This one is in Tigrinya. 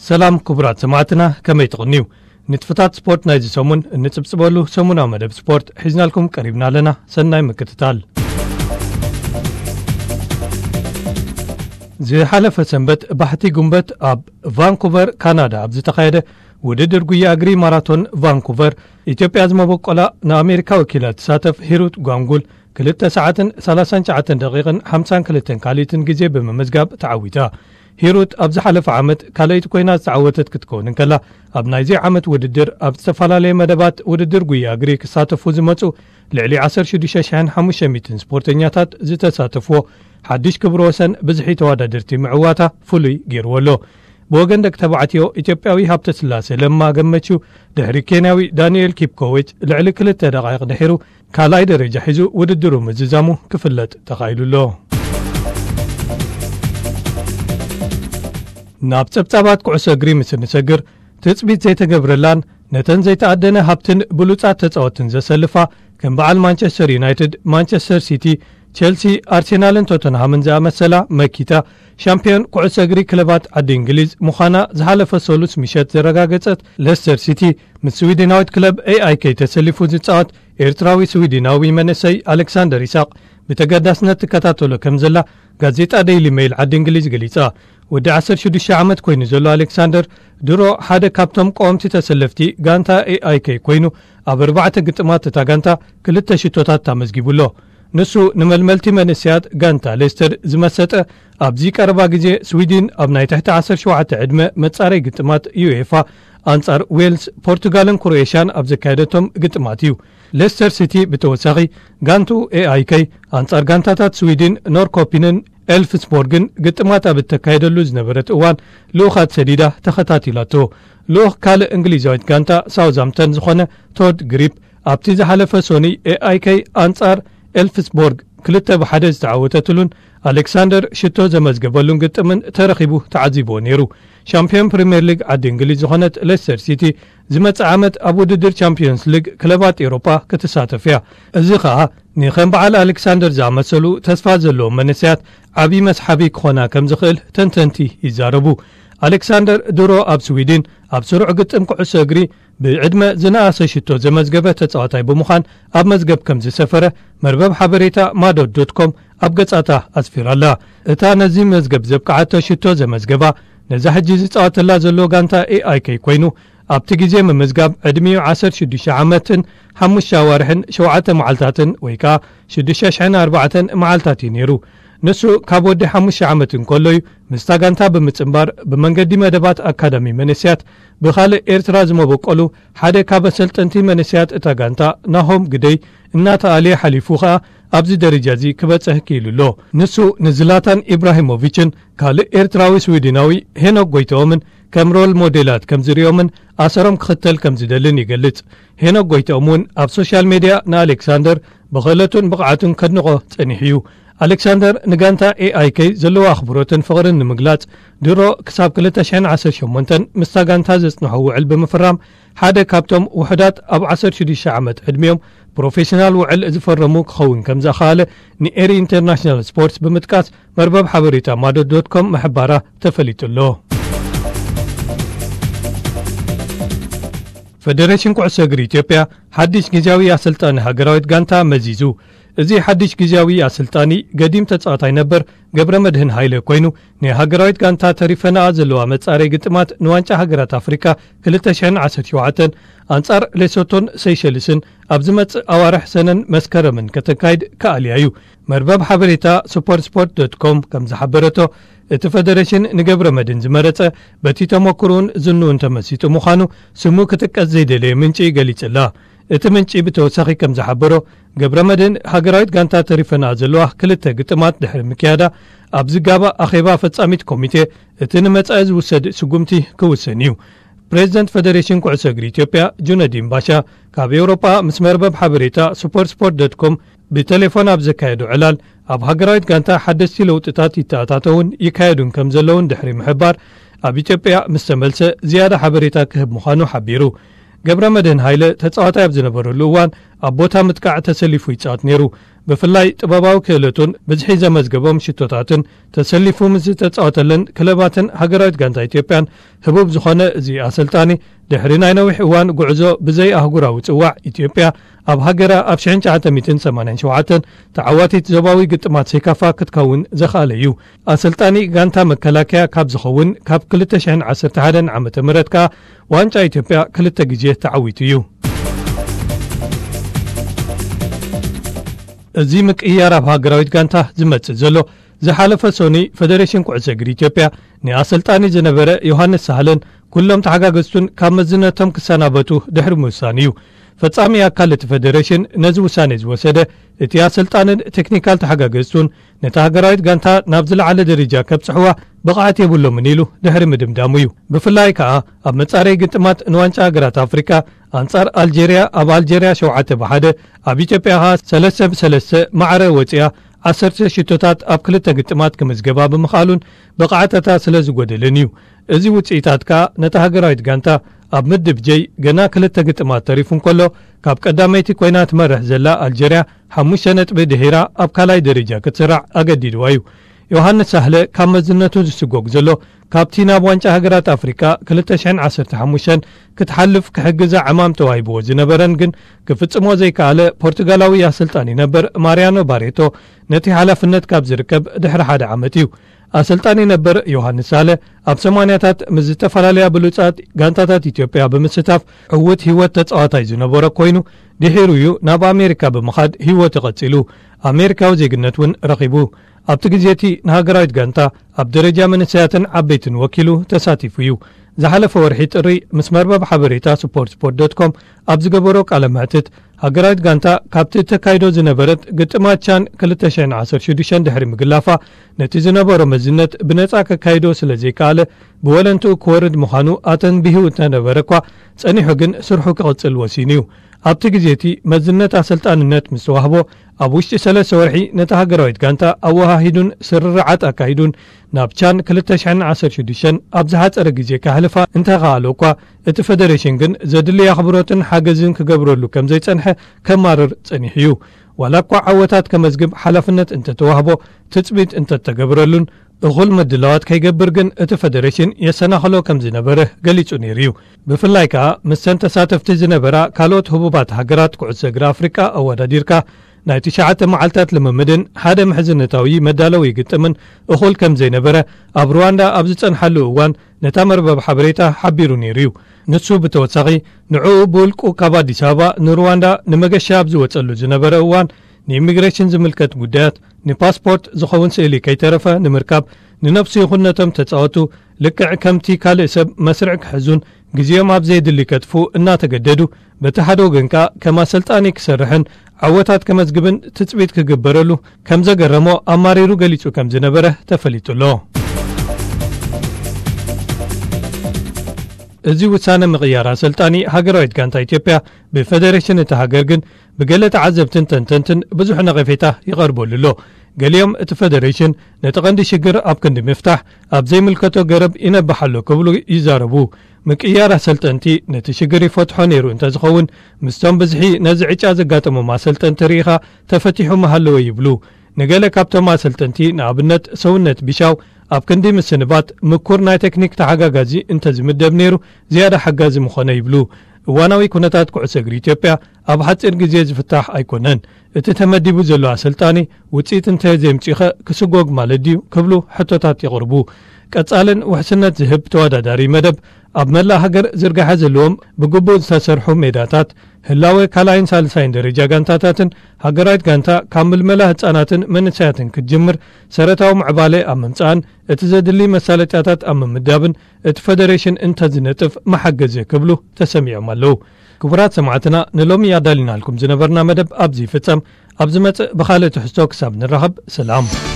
ሰላም ክቡራት ሰማዕትና፣ ከመይ ትቕንዩ? ንጥፍታት ስፖርት ናይዚ ሰሙን እንጽብጽበሉ ሰሙናዊ መደብ ስፖርት ሒዝናልኩም ቀሪብና ኣለና። ሰናይ ምክትታል። ዝሓለፈ ሰንበት ባሕቲ ጉንበት ኣብ ቫንኩቨር ካናዳ ኣብ ዝተኻየደ ውድድር ጉያ እግሪ ማራቶን ቫንኩቨር፣ ኢትዮጵያ ዝመበቆላ ንኣሜሪካ ወኪላ ትሳተፍ ሂሩት ጓንጉል ክልተ ሰዓትን ሰላሳን ትሽዓተን ደቂቕን ሓምሳን ክልተን ካልኢትን ግዜ ብምምዝጋብ ተዓዊታ። ሂሩት ኣብ ዝሓለፈ ዓመት ካልኣይቲ ኮይና ዝተዓወተት ክትከውን እንከላ፣ ኣብ ናይዚ ዓመት ውድድር ኣብ ዝተፈላለየ መደባት ውድድር ጉያ እግሪ ክሳተፉ ዝመጹ ልዕሊ ዓሰርተ ሽዱሽተ ሽሕን ሓሙሽተ ሚእትን ስፖርተኛታት ዝተሳተፍዎ ሓድሽ ክብረ ወሰን ብዝሒ ተወዳደርቲ ምዕዋታ ፍሉይ ገይርዎ ኣሎ። ብወገን ደቂ ተባዕትዮ፣ ኢትዮጵያዊ ሃብተስላሴ ለማ ገመቹ ድሕሪ ኬንያዊ ዳንኤል ኪፕኮዊች ልዕሊ ክልተ ደቓይቕ ድሒሩ ካልኣይ ደረጃ ሒዙ ውድድሩ ምዝዛሙ ክፍለጥ ተኻኢሉ ኣሎ። ናብ ጸብጻባት ኩዕሶ እግሪ ምስ እንሰግር፣ ትጽቢት ዘይተገብረላን ነተን ዘይተኣደነ ሃብትን ብሉጻት ተጻወትን ዘሰልፋ፣ ከም በዓል ማንቸስተር ዩናይትድ፣ ማንቸስተር ሲቲ፣ ቸልሲ፣ ኣርሴናልን ቶተንሃምን ዝኣመሰላ መኪታ ሻምፒዮን ኩዕሶ እግሪ ክለባት ዓዲ እንግሊዝ ምዃና ዝሓለፈ ሰሉስ ምሸት ዘረጋገጸት ሌስተር ሲቲ፣ ምስ ስዊድናዊት ክለብ ኤኣይኬ ተሰሊፉ ዝጻወት ኤርትራዊ ስዊድናዊ መንእሰይ ኣሌክሳንደር ይስሐቅ ብተገዳስነት ትከታተሎ ከም ዘላ ጋዜጣ ዴይሊ ሜይል ዓዲ እንግሊዝ ገሊጻ። ወዲ ዓሰርተ ሽዱሽተ ዓመት ኮይኑ ዘሎ ኣሌክሳንደር ድሮ ሓደ ካብቶም ቀወምቲ ተሰለፍቲ ጋንታ ኤኣይኬ ኮይኑ፣ ኣብ ኣርባዕተ ግጥማት እታ ጋንታ ክልተ ሽቶታት ኣመዝጊቡ ኣሎ። ንሱ ንመልመልቲ መንእሰያት ጋንታ ሌስተር ዝመሰጠ፣ ኣብዚ ቀረባ ግዜ ስዊድን ኣብ ናይ ትሕቲ ዓሰርተ ሸውዓተ ዕድመ መጻረይ ግጥማት ዩኤፋ ኣንጻር ዌልስ፣ ፖርቱጋልን ክሮኤሽያን ኣብ ዘካየደቶም ግጥማት እዩ። ሌስተር ሲቲ ብተወሳኺ ጋንቱ ኤኣይኬ ኣንጻር ጋንታታት ስዊድን ኖርኮፒንን ኤልፍስቦርግን ግጥማት ኣብ እተካየደሉ ዝነበረት እዋን ልኡኻት ሰዲዳ ተኸታቲላቶ። ልኡኽ ካልእ እንግሊዛዊት ጋንታ ሳውዝሃምፕተን ዝኾነ ቶድ ግሪፕ ኣብቲ ዝሓለፈ ሶኒ ኤኣይኬ ኣንጻር ኤልፍስቦርግ ክልተ ብሓደ ዝተዓወተትሉን ኣሌክሳንደር ሽቶ ዘመዝገበሉን ግጥምን ተረኺቡ ተዓዚብዎ ነይሩ። ሻምፒዮን ፕሪምየር ሊግ ዓዲ እንግሊዝ ዝኾነት ሌስተር ሲቲ ዝመጽእ ዓመት ኣብ ውድድር ቻምፒዮንስ ሊግ ክለባት ኤውሮጳ ክትሳተፍ እያ። እዚ ኸኣ ንኸም በዓል ኣሌክሳንደር ዝኣመሰሉ ተስፋ ዘለዎም መንእሰያት ዓቢ መስሓቢ ክኾና ከም ዝኽእል ተንተንቲ ይዛረቡ። ኣሌክሳንደር ድሮ ኣብ ስዊድን ኣብ ስሩዕ ግጥም ኩዕሶ እግሪ ብዕድመ ዝነኣሰ ሽቶ ዘመዝገበ ተጻዋታይ ብምዃን ኣብ መዝገብ ከም ዝሰፈረ መርበብ ሓበሬታ ማዶት ዶት ኮም ኣብ ገጻታ ኣስፊራላ። እታ ነዚ መዝገብ ዘብቅዓቶ ሽቶ ዘመዝገባ፣ ነዛ ሕጂ ዝጻወተላ ዘሎ ጋንታ ኤኣይኬ ኮይኑ፣ ኣብቲ ግዜ ምምዝጋብ ዕድሚኡ ዓሰርተ ሽዱሽተ ዓመትን ሓሙሽተ ኣዋርሕን ሸውዓተ መዓልታትን ወይ ከኣ ሽዱሽተ ሽሕን ኣርባዕተን መዓልታት እዩ ነይሩ። ንሱ ካብ ወዲ ሓሙሽተ ዓመት እንከሎ እዩ ምስታ ጋንታ ብምጽንባር ብመንገዲ መደባት ኣካዳሚ መንእሰያት ብኻልእ ኤርትራ ዝመበቆሉ ሓደ ካብ ኣሰልጠንቲ መንእሰያት እታ ጋንታ ናሆም ግደይ እናተኣልየ ሓሊፉ ኸኣ ኣብዚ ደረጃ እዚ ክበጽሕ ክኢሉ ኣሎ። ንሱ ንዝላታን ኢብራሂሞቪችን ካልእ ኤርትራዊ ስዊድናዊ ሄኖክ ጎይተኦምን ከም ሮል ሞዴላት ከም ዝሪኦምን ኣሰሮም ክኽተል ከም ዝደልን ይገልጽ። ሄኖክ ጎይተኦም እውን ኣብ ሶሻል ሜድያ ንኣሌክሳንደር ብኽእለቱን ብቕዓቱን ከድንቖ ጸኒሑ እዩ። ኣሌክሳንደር ንጋንታ ኤኣይኬ ዘለዎ ኣኽብሮትን ፍቕርን ንምግላጽ ድሮ ክሳብ ክልተ ሽሕን ዓሰርተ ሸሞንተን ምስታ ጋንታ ዘጽንሖ ውዕል ብምፍራም ሓደ ካብቶም ውሑዳት ኣብ ዓሰርተ ሽዱሽተ ዓመት ዕድሚኦም ፕሮፌሽናል ውዕል ዝፈረሙ ክኸውን ከም ዘኽኣለ ንኤሪ ኢንተርናሽናል ስፖርትስ ብምጥቃስ መርበብ ሓበሬታ ማዶ ዶት ኮም ምሕባራ ተፈሊጡ ኣሎ። ፈደሬሽን ኩዕሶ እግሪ ኢትዮጵያ ሓድሽ ግዜያዊ ኣሰልጣኒ ሃገራዊት ጋንታ መዚዙ። እዚ ሓድሽ ግዜያዊ ኣሰልጣኒ ገዲም ተጻዋታይ ነበር ገብረ መድህን ሃይለ ኮይኑ፣ ናይ ሃገራዊት ጋንታ ተሪፈናኣ ዘለዋ መጻረይ ግጥማት ንዋንጫ ሃገራት ኣፍሪካ ክልተ ሽሕን ዓሰርተ ሸውዓተን ኣንጻር ሌሶቶን ሴሸልስን ኣብ ዝመጽእ ኣዋርሕ ሰነን መስከረምን ከተካይድ ክኣልያ እዩ። መርበብ ሓበሬታ ሱፐር ስፖርት ዶት ኮም ከም ዝሓበረቶ፣ እቲ ፈደሬሽን ንገብረ መድህን ዝመረጸ በቲ ተመክሮኡን ዝንኡን ተመሲጡ ምዃኑ ስሙ ክጥቀስ ዘይደለየ ምንጪ ገሊጽላ። እቲ ምንጪ ብተወሳኺ ከም ዝሓበሮ፣ ገብረ መድህን ሃገራዊት ጋንታ ተሪፈና ዘለዋ ክልተ ግጥማት ድሕሪ ምክያዳ፣ ኣብ ዝጋባእ ኣኼባ ፈጻሚት ኮሚቴ እቲ ንመጻኢ ዝውሰድ ስጉምቲ ክውሰን እዩ። ፕሬዚደንት ፈደሬሽን ኩዕሶ እግሪ ኢትዮጵያ ጁነዲን ባሻ ካብ ኤውሮጳ ምስ መርበብ ሓበሬታ ሱፐር ስፖርት ዶት ኮም ብቴሌፎን ኣብ ዘካየዶ ዕላል፣ ኣብ ሃገራዊት ጋንታ ሓደስቲ ለውጥታት ይተኣታተውን ይካየዱን ከም ዘለውን ድሕሪ ምሕባር፣ ኣብ ኢትዮጵያ ምስ ተመልሰ ዝያዳ ሓበሬታ ክህብ ምዃኑ ሓቢሩ። ገብረ መድህን ሃይለ ተጻዋታይ ኣብ ዝነበረሉ እዋን ኣብ ቦታ ምጥቃዕ ተሰሊፉ ይጻወት ነይሩ። ብፍላይ ጥበባዊ ክእለቱን ብዝሒ ዘመዝገቦም ሽቶታትን ተሰሊፉ ምስ ዝተጻወተለን ክለባትን ሃገራዊት ጋንታ ኢትዮጵያን ህቡብ ዝኾነ እዚ ኣሰልጣኒ፣ ድሕሪ ናይ ነዊሕ እዋን ጉዕዞ ብዘይ ኣህጉራዊ ጽዋዕ፣ ኢትዮጵያ ኣብ ሃገራ ኣብ ሽሕን ትሽዓተ ሚእትን ሰማንያን ሸውዓተን ተዓዋቲት ዞባዊ ግጥማት ሴካፋ ክትከውን ዘኽኣለ እዩ። ኣሰልጣኒ ጋንታ መከላከያ ካብ ዝኸውን ካብ ክልተ ሽሕን ዓሰርተ ሓደን ዓመተ ምህረት ከኣ ዋንጫ ኢትዮጵያ ክልተ ግዜ ተዓዊቱ እዩ። እዚ ምቅይያር ኣብ ሃገራዊት ጋንታ ዝመጽእ ዘሎ፣ ዝሓለፈ ሶኒ ፈደሬሽን ኩዕሶ እግሪ ኢትዮጵያ ንኣሰልጣኒ ዝነበረ ዮሃንስ ሳህለን ኩሎም ተሓጋገዝቱን ካብ መዝነቶም ክሰናበቱ ድሕሪ ምውሳን እዩ። ፈጻሚ ኣካል እቲ ፈደሬሽን ነዚ ውሳኔ ዝወሰደ፣ እቲ ኣሰልጣንን ቴክኒካል ተሓጋገዝቱን ነታ ሃገራዊት ጋንታ ናብ ዝለዓለ ደረጃ ከብጽሕዋ ብቕዓት የብሎምን ኢሉ ድሕሪ ምድምዳሙ እዩ። ብፍላይ ከኣ ኣብ መጻረዪ ግጥማት ንዋንጫ ሃገራት ኣፍሪቃ ኣንጻር ኣልጀርያ ኣብ ኣልጀርያ ሸውዓተ ብሓደ፣ ኣብ ኢትዮጵያ ከኣ ሰለስተ ብሰለስተ ማዕረ ወጺኣ ዓሰርተ ሽቶታት ኣብ ክልተ ግጥማት ክምዝገባ ብምኽኣሉን ብቕዓታታ ስለ ዝጎደለን እዩ። እዚ ውጽኢታት ከኣ ነታ ሃገራዊት ጋንታ ኣብ ምድብ ጀይ ገና ክልተ ግጥማት ተሪፉ እንከሎ፣ ካብ ቀዳመይቲ ኮይና ትመርሕ ዘላ ኣልጀርያ ሓሙሽተ ነጥቢ ድሒራ ኣብ ካልኣይ ደረጃ ክትስራዕ ኣገዲድዋ እዩ። ዮሃንስ ሳህለ ካብ መዝነቱ ዝስጎግ ዘሎ፣ ካብቲ ናብ ዋንጫ ሃገራት ኣፍሪቃ ክልተ ሽሕን ዓሰርተ ሓሙሽተን ክትሓልፍ ክሕግዛ ዕማም ተዋሂብዎ ዝነበረን ግን ክፍጽሞ ዘይከኣለ ፖርቱጋላዊ ኣሰልጣኒ ነበር ማርያኖ ባሬቶ ነቲ ሓላፍነት ካብ ዝርከብ ድሕሪ ሓደ ዓመት እዩ። ኣሰልጣኒ ነበር ዮሃንስ ሳለ ኣብ ሰማንያታት ምስ ዝተፈላለያ ብሉጻት ጋንታታት ኢትዮጵያ ብምስታፍ ዕዉት ህይወት ተጻዋታይ ዝነበሮ ኮይኑ፣ ድሒሩ እዩ ናብ ኣሜሪካ ብምኻድ ህይወቱ ቀጺሉ። ኣሜሪካዊ ዜግነት እውን ረኺቡ። ኣብቲ ግዜ እቲ ንሃገራዊት ጋንታ ኣብ ደረጃ መንእሰያትን ዓበይትን ወኪሉ ተሳቲፉ እዩ። ዝሓለፈ ወርሒ ጥሪ ምስ መርበብ ሓበሬታ ስፖርት ስፖርት ዶት ኮም ኣብ ዝገበሮ ቃለ መሕትት፣ ሃገራዊት ጋንታ ካብቲ ተካይዶ ዝነበረት ግጥማት ቻን ክልተ ሽሕን ዓሰርተ ሽዱሽተን ድሕሪ ምግላፋ፣ ነቲ ዝነበሮ መዝነት ብነጻ ከካይዶ ስለ ዘይከኣለ፣ ብወለንትኡ ክወርድ ምዃኑ ኣተንቢሁ እንተነበረ እኳ፣ ጸኒሑ ግን ስርሑ ክቕጽል ወሲኑ እዩ። ኣብቲ ግዜ እቲ መዝነት ኣሰልጣንነት ምስ ተዋህቦ፣ ኣብ ውሽጢ ሰለስተ ወርሒ ነታ ሃገራዊት ጋንታ ኣወሃሂዱን ስርርዓት ኣካሂዱን ናብ ቻን ክልተ ሽሕን ዓሰርተ ሽዱሽተን ኣብ ዝሓጸረ ግዜ ከሕልፋ እንተኸኣሎ እኳ፣ እቲ ፈደሬሽን ግን ዘድሊ ኣኽብሮትን ሓገዝን ክገብረሉ ከም ዘይጸንሐ ከማርር ጸኒሑ እዩ። ዋላ እኳ ዓወታት ከመዝግብ ሓላፍነት እንተተዋህቦ፣ ትጽቢት እንተተገብረሉን እኹል ምድላዋት ከይገብር ግን እቲ ፈደሬሽን የሰናኽሎ ከም ዝነበረ ገሊጹ ነይሩ እዩ። ብፍላይ ከኣ ምስተን ተሳተፍቲ ዝነበራ ካልኦት ህቡባት ሃገራት ኩዕሶ እግሪ ኣፍሪቃ ኣወዳዲርካ፣ ናይ ትሽዓተ መዓልታት ልምምድን ሓደ ምሕዝነታዊ መዳለዊ ግጥምን እኹል ከም ዘይነበረ ኣብ ሩዋንዳ ኣብ ዝጸንሓሉ እዋን ነታ መርበብ ሓበሬታ ሓቢሩ ነይሩ እዩ። ንሱ ብተወሳኺ፣ ንዕኡ ብውልቁ ካብ ኣዲስ ኣበባ ንሩዋንዳ ንመገሻ ኣብ ዝወጸሉ ዝነበረ እዋን፣ ንኢሚግሬሽን ዝምልከት ጉዳያት፣ ንፓስፖርት ዝኸውን ስእሊ ከይተረፈ ንምርካብ፣ ንነብሱ ይኹን ነቶም ተጻወቱ ልክዕ ከምቲ ካልእ ሰብ መስርዕ ክሕዙን ግዜኦም ኣብ ዘየድሊ ከጥፍኡ እናተገደዱ፣ በቲ ሓደ ወገን ከኣ ከም ኣሰልጣኒ ክሰርሕን ዓወታት ከመዝግብን ትጽቢት ክግበረሉ ከም ዘገረሞ ኣማሪሩ ገሊጹ ከም ዝነበረ ተፈሊጡ ኣሎ። እዚ ውሳነ ምቕያር ኣሰልጣኒ ሃገራዊት ጋንታ ኢትዮጵያ ብፈደሬሽን እታ ሃገር ግን ብገለ ተዓዘብትን ተንተንትን ብዙሕ ነቐፌታ ይቐርበሉ ኣሎ። ገሊኦም እቲ ፈደሬሽን ነቲ ቀንዲ ሽግር ኣብ ክንዲ ምፍታሕ ኣብ ዘይምልከቶ ገረብ ይነብሕ ኣሎ ክብሉ ይዛረቡ። ምቅያር ኣሰልጠንቲ ነቲ ሽግር ይፈትሖ ነይሩ እንተዝኸውን፣ ምስቶም ብዝሒ ነዚ ዕጫ ዘጋጠሞም ኣሰልጠንቲ ርኢኻ ተፈቲሑ ምሃለወ ይብሉ። ንገለ ካብቶም ኣሰልጠንቲ፣ ንኣብነት ሰውነት ቢሻው፣ ኣብ ክንዲ ምስንባት ምኩር ናይ ቴክኒክ ተሓጋጋዚ እንተዝምደብ ነይሩ ዝያዳ ሓጋዚ ምኾነ ይብሉ። እዋናዊ ኩነታት ኩዕሶ እግሪ ኢትዮጵያ ኣብ ሓጺር ግዜ ዝፍታሕ ኣይኮነን። እቲ ተመዲቡ ዘሎ ኣሰልጣኒ ውጽኢት እንተ ዘየምጺኸ ክስጎግ ማለት ድዩ ክብሉ ሕቶታት የቕርቡ። ቀጻልን ውሕስነት ዝህብ ተወዳዳሪ መደብ ኣብ መላእ ሃገር ዝርጋሐ ዘለዎም ብግቡእ ዝተሰርሑ ሜዳታት፣ ህላወ ካልኣይን ሳልሳይን ደረጃ ጋንታታትን ሃገራዊት ጋንታ ካብ ምልመላ ህጻናትን መንእሰያትን ክትጅምር ሰረታዊ ምዕባለ ኣብ ምምጻእን እቲ ዘድሊ መሳለጥያታት ኣብ ምምዳብን እቲ ፈደሬሽን እንተዝነጥፍ መሓገዘ ክብሉ ተሰሚዖም ኣለዉ። ክቡራት ሰማዕትና፣ ንሎሚ ኣዳሊናልኩም ዝነበርና መደብ ኣብዚ ይፍጸም። ኣብ ዝመጽእ ብኻልእ ትሕዝቶ ክሳብ ንራኸብ፣ ሰላም።